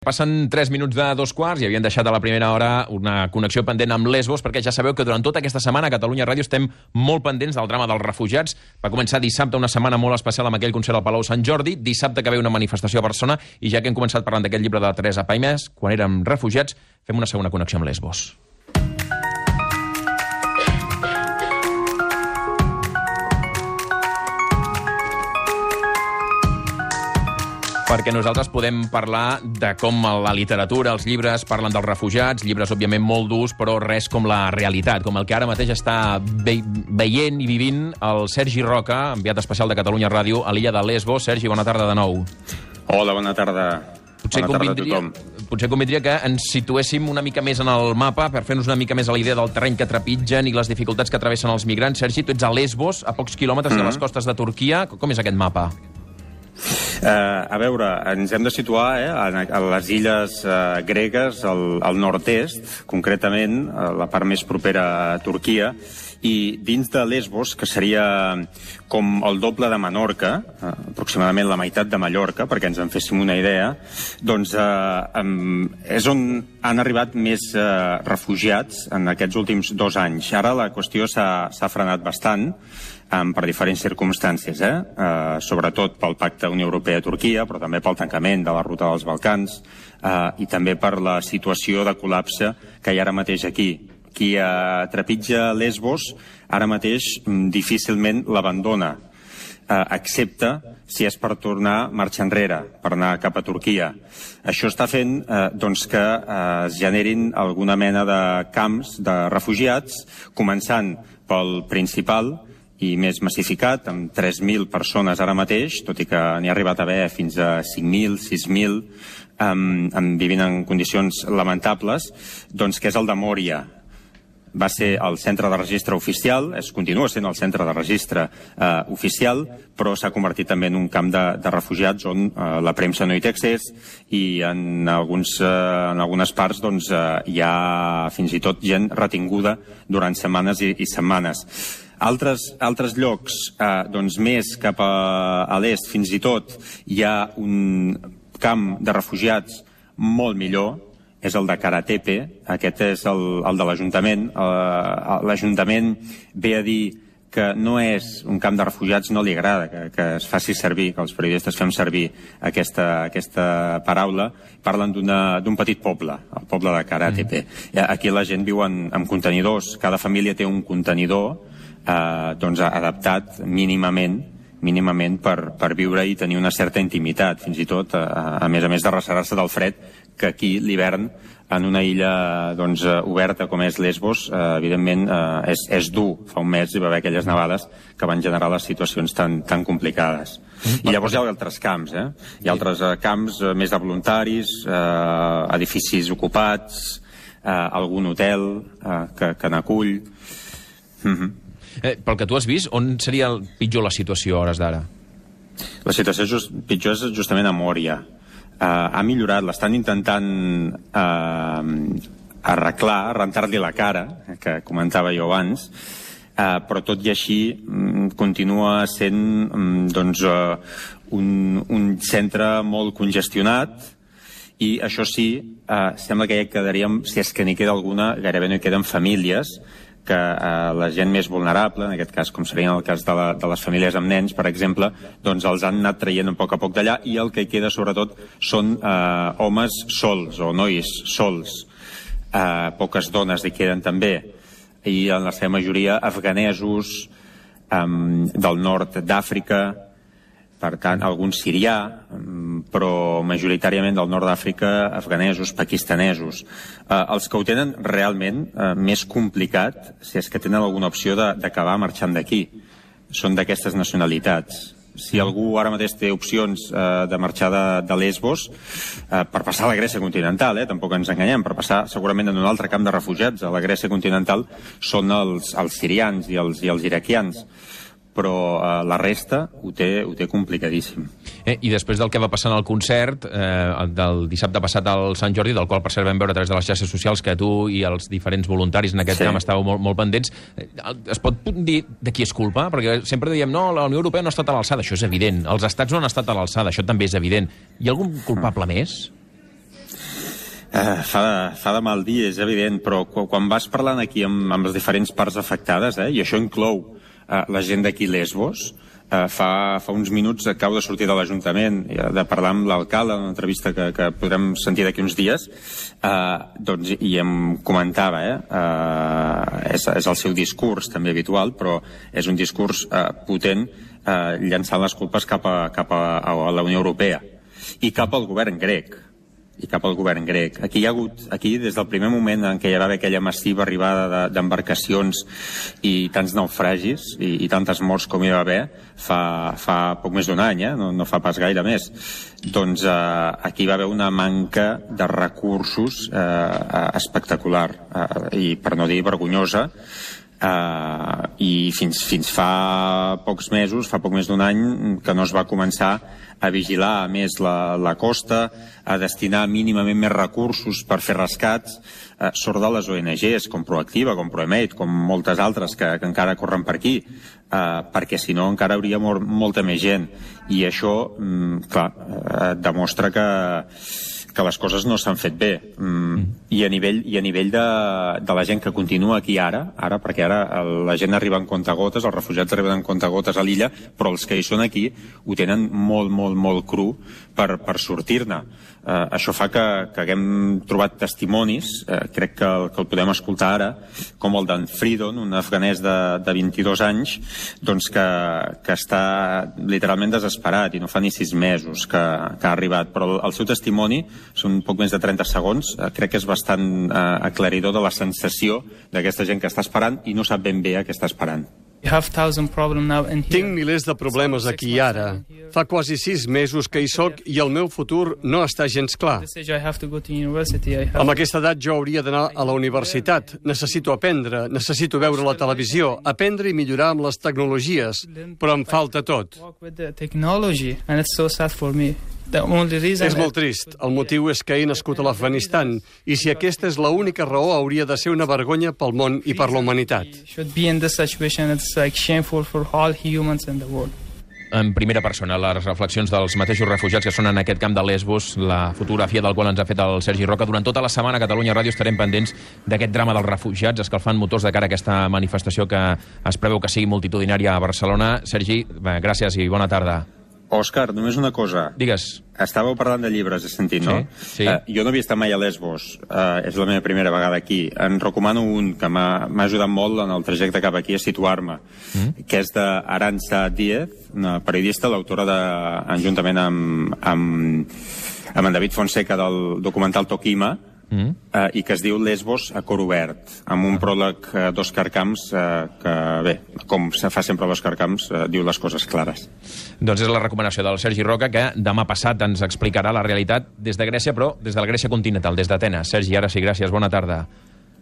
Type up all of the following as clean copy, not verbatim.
Passen 3 minuts de 2 quarts i havien deixat a la primera hora una connexió pendent amb Lesbos, perquè ja sabeu que durant tota aquesta setmana a Catalunya Ràdio estem molt pendents del drama dels refugiats. Va començar dissabte una setmana molt especial amb aquell concert al Palau Sant Jordi, dissabte que ve una manifestació a Barcelona, i ja que hem començat parlant d'aquest llibre de Teresa Paimès, quan érem refugiats, fem una segona connexió amb Lesbos. Perquè nosaltres podem parlar de com la literatura, els llibres parlen dels refugiats, llibres òbviament molt durs, però res com la realitat, com el que ara mateix està veient i vivint el Sergi Roca, enviat especial de Catalunya Ràdio a l'illa de Lesbos. Sergi, bona tarda de nou. Hola, bona tarda. Potser convindria que ens situéssim una mica més en el mapa per fer-nos una mica més a la idea del terreny que trepitgen i les dificultats que travessen els migrants. Sergi, tu ets a Lesbos, a pocs quilòmetres de les costes de Turquia. Com és aquest mapa? A veure, ens hem de situar a les illes gregues, al nord-est, concretament, la part més propera a Turquia, i dins de Lesbos, que seria com el doble de Menorca, aproximadament la meitat de Mallorca, perquè ens en féssim una idea, doncs és on han arribat més refugiats en aquests últims 2 anys. Ara la qüestió s'ha frenat bastant, per diferents circumstàncies, sobretot pel pacte Unió Europea-Turquia, però també pel tancament de la ruta dels Balcans i també per la situació de col·lapse que hi ha ara mateix aquí. Qui trepitja Lesbos ara mateix difícilment l'abandona, excepte si és per tornar marxa enrere, per anar cap a Turquia. Això està fent que es generin alguna mena de camps de refugiats, començant pel principal i més massificat, amb 3.000 persones ara mateix, tot i que n'hi ha arribat a haver fins a 5.000, 6.000, vivint en condicions lamentables, doncs que és el de Mòria. Va ser el centre de registre oficial, continua sent el centre de registre oficial, però s'ha convertit també en un camp de refugiats on la premsa no hi té accés i en algunes parts hi ha fins i tot gent retinguda durant setmanes i setmanes. Altres llocs, més cap a l'est, fins i tot, hi ha un camp de refugiats molt millor, és el de Karatepe, aquest és el de l'Ajuntament. L'Ajuntament ve a dir que no és un camp de refugiats, no li agrada que es faci servir, que els periodistes fem servir aquesta paraula. Parlen d'un petit poble, el poble de Karatepe. Aquí la gent viu en contenidors, cada família té un contenidor adaptat mínimament per viure i tenir una certa intimitat, fins i tot a més de reservar-se del fred, que aquí l'hivern en una illa oberta com és Lesbos evidentment és dur. Fa un mes hi va haver aquelles nevades que van generar les situacions tan complicades. I llavors hi ha altres camps, hi ha altres camps més de voluntaris, edificis ocupats, algun hotel que n'acull. Pel que tu has vist, on seria pitjor la situació a hores d'ara? La situació pitjor és justament a Mòria. Ha millorat, l'estan intentant arreglar, rentar-li la cara, que comentava jo abans, però tot i així continua sent un centre molt congestionat, i això sí, sembla que ja hi quedaríem, si és que n'hi queda alguna, gairebé no hi queden famílies, que la gent més vulnerable, en aquest cas com seria el cas de les famílies amb nens, per exemple, doncs els han anat traient a poc d'allà, i el que hi queda sobretot són homes sols o nois sols. Poques dones hi queden també, i en la seva majoria afganesos del nord d'Àfrica, per tant, algun sirià, però majoritàriament del nord d'Àfrica, afganesos, pakistanesos. Els que ho tenen realment més complicat, si és que tenen alguna opció d'acabar marxant d'aquí, són d'aquestes nacionalitats. Si algú ara mateix té opcions de marxar de Lesbos, per passar a la Grècia continental, tampoc ens enganyem, per passar segurament en un altre camp de refugiats a la Grècia continental, són els sirians i els iraquians. Però la resta ho té complicadíssim. I després del que va passar en el concert del dissabte passat al Sant Jordi, del qual per cert vam veure a través de les xarxes socials que tu i els diferents voluntaris en aquest camp estàveu molt pendents, es pot dir de qui és culpa? Perquè sempre diem, no, la Unió Europea no ha estat a l'alçada. Això és evident. Els estats no han estat a l'alçada, això també és evident. Hi ha algun culpable més? Fa de mal dir, és evident, però quan vas parlant aquí amb les diferents parts afectades, i això inclou la gent d'aquí Lesbos, fa uns minuts acabo de sortir de l'Ajuntament de parlar amb l'alcalde en una entrevista que podrem sentir d'aquí uns dies, doncs, i em comentava, és el seu discurs també habitual, però és un discurs potent, llançant les culpes cap a la Unió Europea i cap al govern grec. Aquí hi ha hagut, des del primer moment en què hi va haver aquella massiva arribada d'embarcacions i tants naufragis i tantes morts com hi va haver fa poc més d'un any, no fa pas gaire més, doncs aquí va haver una manca de recursos espectacular i per no dir vergonyosa, i fins fa pocs mesos, fa poc més d'un any, que no es va començar a vigilar més la costa, a destinar mínimament més recursos per fer rescats, sort de les ONGs, com Proactiva, com Proemate, com moltes altres que encara corren per aquí, perquè si no encara hauria mort molta més gent. I això, clar, demostra que les coses no s'han fet bé. I a nivell de la gent que continua aquí ara, perquè ara la gent arriba en comptagotes, els refugiats arriben en comptagotes a l'illa, però els que hi són aquí ho tenen molt cru per sortir-ne. Això fa que haguem trobat testimonis, crec que el podem escoltar ara, com el d'en Fridon, un afganès de 22 anys, doncs que està literalment desesperat i no fa ni 6 mesos que ha arribat, però el seu testimoni són poc més de 30 segons, crec que és bastant aclaridor de la sensació d'aquesta gent que està esperant i no sap ben bé a què està esperant. Tinc milers de problemes aquí i ara. Fa quasi 6 mesos que hi soc i el meu futur no està gens clar. Amb aquesta edat jo hauria d'anar a la universitat. Necessito aprendre, necessito veure la televisió, aprendre i millorar amb les tecnologies, però em falta tot. És molt trist. El motiu és que he nascut a l'Afganistan i si aquesta és l'única raó hauria de ser una vergonya pel món i per la humanitat. En primera persona, les reflexions dels mateixos refugiats que són en aquest camp de Lesbos, la fotografia del qual ens ha fet el Sergi Roca. Durant tota la setmana a Catalunya Ràdio estarem pendents d'aquest drama dels refugiats, escalfant motors de cara a aquesta manifestació que es preveu que sigui multitudinària a Barcelona. Sergi, gràcies i bona tarda. Òscar, només una cosa. Digues. Estàveu parlant de llibres, he sentit, no? Sí. Jo no havia estat mai a Lesbos, és la meva primera vegada aquí. En recomano un que m'ha ajudat molt en el trajecte cap aquí a situar-me, que és d'Arantxa Díez, una periodista, l'autora juntament amb en David Fonseca del documental Tokima, i que es diu Lesbos a cor obert, amb un pròleg d'Òscar Camps que, bé, com se fa sempre l'Òscar Camps, diu les coses clares. Doncs és la recomanació del Sergi Roca, que demà passat ens explicarà la realitat des de Grècia, però des de la Grècia continental, des d'Atenes. Sergi, ara sí, gràcies, bona tarda.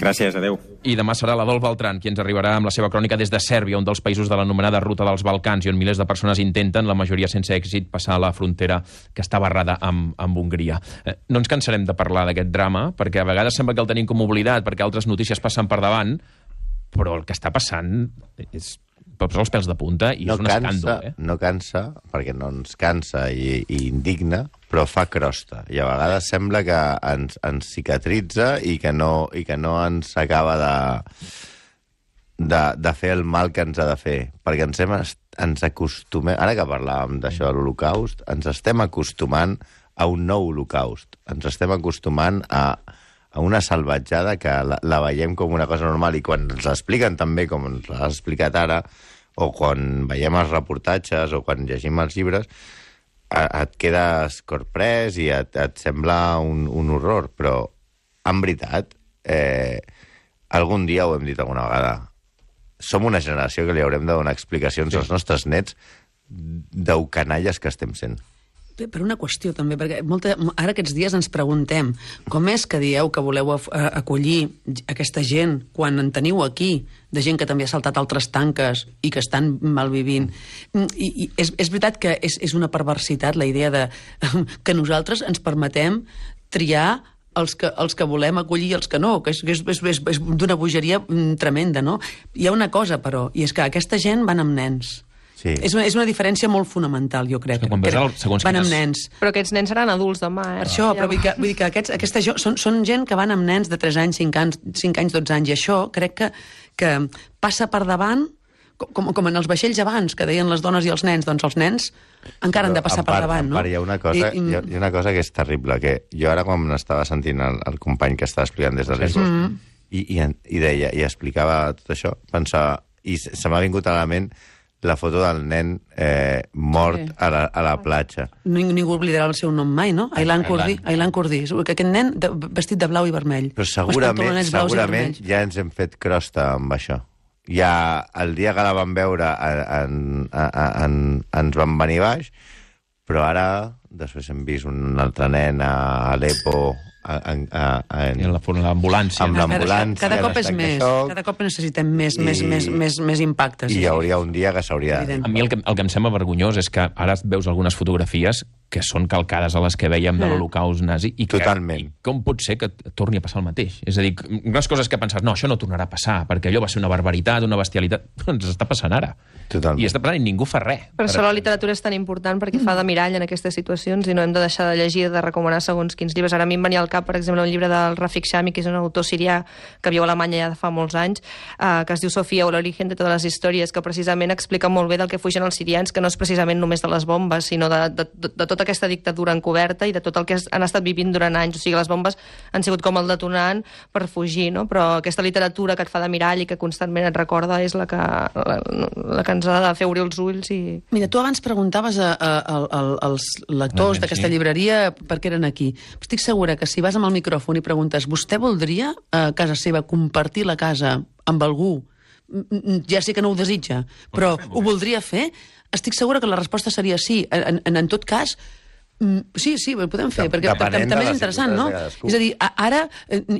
Gràcies, adeu. I demà serà l'Adolf Beltran qui ens arribarà amb la seva crònica des de Sèrbia, un dels països de l'anomenada Ruta dels Balcans, i on milers de persones intenten, la majoria sense èxit, passar la frontera que està barrada amb Hongria. No ens cansarem de parlar d'aquest drama, perquè a vegades sembla que el tenim com oblidat, perquè altres notícies passen per davant, però el que està passant és posar els pèls de punta i és un escàndol. No cansa, perquè no ens cansa i indigna, però fa crosta. I a vegades sembla que ens cicatritza i que no ens acaba de fer el mal que ens ha de fer. Perquè ens acostumem... Ara que parlàvem d'això de l'Holocaust, ens estem acostumant a un nou Holocaust. Ens estem acostumant a una salvatjada que la veiem com una cosa normal i quan ens l'expliquen també, com ens l'ha explicat ara, o quan veiem els reportatges o quan llegim els llibres, et quedes corprès i et sembla un horror. Però, en veritat, algun dia ho hem dit alguna vegada, som una generació que li haurem de donar explicacions als nostres nets d'ho canalles que estem sent. Per una qüestió, també, perquè ara aquests dies ens preguntem com és que dieu que voleu acollir aquesta gent quan en teniu aquí, de gent que també ha saltat altres tanques i que estan malvivint. I és veritat que és una perversitat la idea de que nosaltres ens permetem triar els que volem acollir i els que no, que és d'una bogeria tremenda, no? Hi ha una cosa, però, i és que aquesta gent van amb nens. Sí. És una diferència molt fonamental, jo crec. Van amb nens. Però aquests nens seran adults demà, Per això, però vull dir que aquesta són gent que van amb nens de 3 anys, 5 anys, 12 anys, i això crec que passa per davant, com en els vaixells abans, que deien les dones i els nens, doncs els nens encara han de passar per davant, no? Hi ha una cosa que és terrible, que jo ara quan estava sentint el company que estava explicant des de Lesbos, i deia, i explicava tot això, pensava, i se m'ha vingut a la ment la foto del nen mort a la platja. Ningú oblidarà el seu nom mai, no? Aylan Kurdi. Aquest nen vestit de blau i vermell. Però segurament ja ens hem fet crosta amb això. Ja el dia que la vam veure ens van venir baix, però ara després hem vist un altre nen a Aleppo l'ambulància. Amb l'ambulància. Cada cop és més. Cada cop necessitem més impactes. I hi hauria un dia que s'hauria... A mi el que em sembla vergonyós és que ara veus algunes fotografies que són calcades a les que veiem de l'Holocaust nazi i com pot ser que torni a passar el mateix? És a dir, unes coses que penses, no, això no tornarà a passar, perquè allò va ser una barbaritat, una bestialitat. Ens està passant ara. Totalment. I està passant i ningú fa res. Per això la literatura és tan important, perquè fa de mirall en aquestes situacions i no hem de deixar de llegir, de recomanar segons quins llibres. Ara a mi em venia al cap, per exemple, un llibre del Rafik Shami, que és un autor sirià que viu a Alemanya ja de fa molts anys, que es diu Sofia o l'origen de totes les històries, que precisament explica molt bé del que fugen els sirians, que no és precisament només de les bombes, sinó de tota aquesta dictadura encoberta i de tot el que han estat vivint durant anys. O sigui, les bombes han sigut com el detonant per fugir, no? Però aquesta literatura que et fa de mirall i que constantment et recorda és la que ens ha de fer obrir els ulls. Mira, tu abans preguntaves als lectors d'aquesta llibreria per què eren aquí. Estic segura que si vas amb el micròfon i preguntes, vostè voldria a casa seva compartir la casa amb algú? Ja sé que no ho desitja, però ho voldria fer? Estic segura que la resposta seria sí. En tot cas, sí, ho podem fer, perquè també és interessant, no? És a dir, ara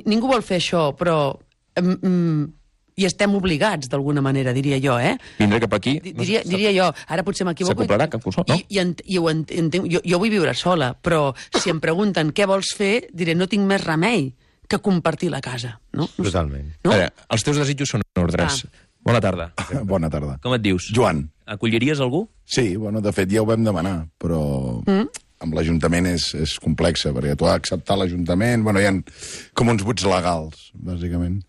ningú vol fer això, però i estem obligats, d'alguna manera, diria jo, Vindré cap aquí... Diria jo, ara potser m'equivoco... S'acoplarà cap cosa, no? I ho entenc, jo vull viure sola, però si em pregunten què vols fer, diré, no tinc més remei que compartir la casa, no? Totalment. A veure, els teus desitjos són ordres. Bona tarda. Bona tarda. Com et dius? Joan. Acolliries algú? Sí, de fet ja ho vam demanar, però amb l'Ajuntament és complexa, perquè tu has d'acceptar l'Ajuntament, hi ha com uns buits legals, bàsicament,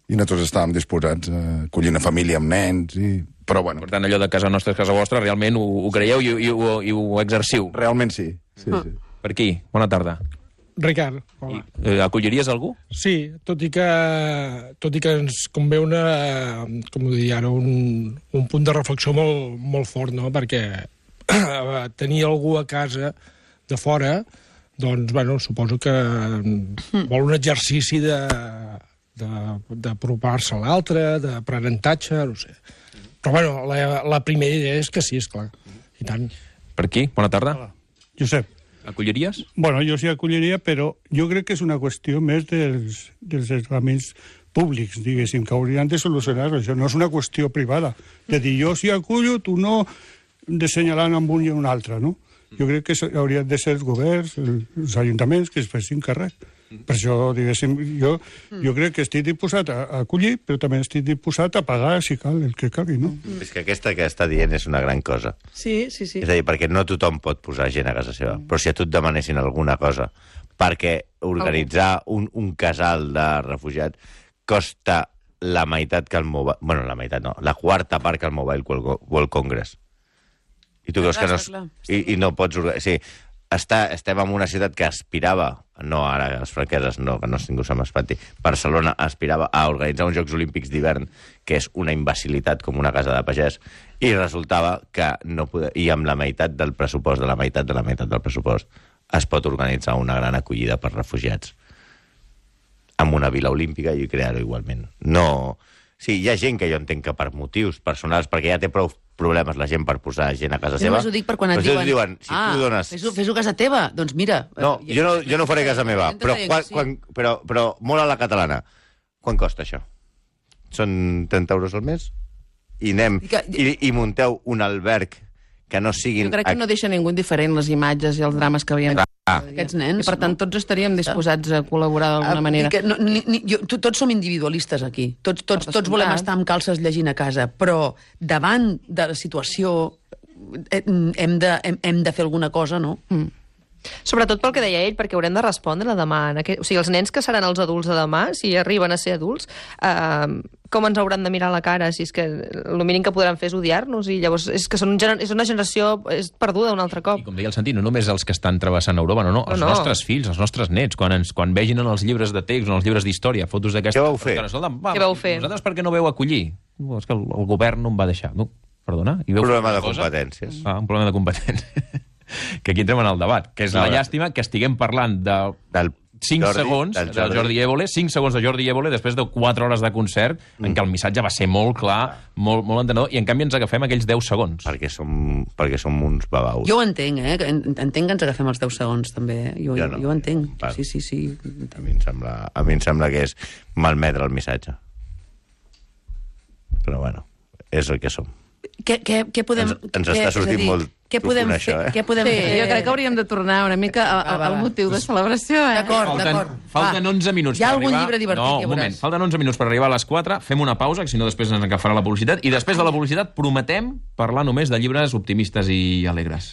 i nosaltres estàvem disposats a acollir una família amb nens, però bueno. Per tant, allò de casa nostra és casa vostra, realment ho creieu i ho exerciu? Realment sí. Per aquí, bona tarda. Ricard, hola. Acolliries algú? Sí, tot i que ens convé un punt de reflexió molt fort, no? Perquè tenir algú a casa de fora, doncs, suposo que vol un exercici d'apropar-se a l'altre, d'aprenentatge, no sé. Però, la primera idea és que sí, esclar, i tant. Per aquí, bona tarda. Hola. Josep. Acolliries? Jo sí acolliria, però jo crec que és una qüestió més dels estaments públics, diguéssim, que haurien de solucionar això. No és una qüestió privada. De dir, jo sí acullo, tu no, d'assenyalant amb un i un altre, no? Jo crec que haurien de ser els governs, els ajuntaments, que es fessin càrrec. Per això, diguéssim, jo crec que estic disposat a acollir, però també estic disposat a pagar, si cal, el que calgui, no? És que aquesta que està dient és una gran cosa. Sí. És a dir, perquè no tothom pot posar gent a casa seva, però si a tu et demanessin alguna cosa, perquè organitzar un casal de refugiats costa la meitat que el Mobile... la meitat no, la quarta part que el Mobile World Congress. I tu creus que no... I no pots... Sí, estem en una ciutat que aspirava, no ara les franqueses, no, que no ningú se m'espanti, Barcelona aspirava a organitzar uns Jocs Olímpics d'hivern, que és una imbecilitat com una casa de pagès, i resultava que no podia... I amb la meitat del pressupost, de la meitat del pressupost, es pot organitzar una gran acollida per refugiats amb una vila olímpica i crear-ho igualment. No... Sí, hi ha gent que jo entenc que per motius personals, perquè ja té prou problemes la gent per posar gent a casa seva. Jo només ho dic per quan et diuen si tu dones... fes-ho a casa teva, doncs mira... No, jo no faré a casa meva, però molt a la catalana. Quan costa això? Són 30 euros al mes? I anem i munteu un alberg que no siguin... Jo crec que no deixa ningú indiferent les imatges i els drames que veiem. Aquests nens. I, per tant, tots estaríem disposats a col·laborar d'alguna manera. Tots som individualistes aquí. Tots volem estar amb calces llegint a casa, però davant de la situació hem de fer alguna cosa, no? Sobretot pel que deia ell, perquè haurem de respondre demà. O sigui, els nens que seran els adults de demà, si arriben a ser adults, com ens hauran de mirar a la cara? Si és que el mínim que podran fer és odiar-nos, i llavors és que és una generació perduda un altre cop. I com deia el Santi, no només els que estan travessant Europa, els nostres fills, els nostres nets, quan vegin en els llibres de text, en els llibres d'història, fotos d'aquesta... Què vau fer? Què vau fer? Vosaltres per què no veu acollir? És que el govern no em va deixar. No, perdona? Un problema de competències. Un problema de competències. Que aquí entrem en el debat, que és la llàstima que estiguem parlant del 5 segons de Jordi Évole, 5 segons de Jordi Évole després de 4 hores de concert en què el missatge va ser molt clar, molt entenedor, i en canvi ens agafem aquells 10 segons. Perquè som uns babaus. Jo ho entenc, entenc que ens agafem els 10 segons, també. Jo ho entenc. Sí. A mi em sembla que és malmetre el missatge. Però bueno, és el que som. Què podem... Ens està sortint molt profund, això, Què podem fer? Jo crec que hauríem de tornar una mica al motiu de celebració, D'acord. Falten 11 minuts per arribar... Hi ha algun llibre divertit, No, un moment. Falten 11 minuts per arribar a les 4. Fem una pausa, que si no després ens agafarà la publicitat. I després de la publicitat prometem parlar només de llibres optimistes i alegres.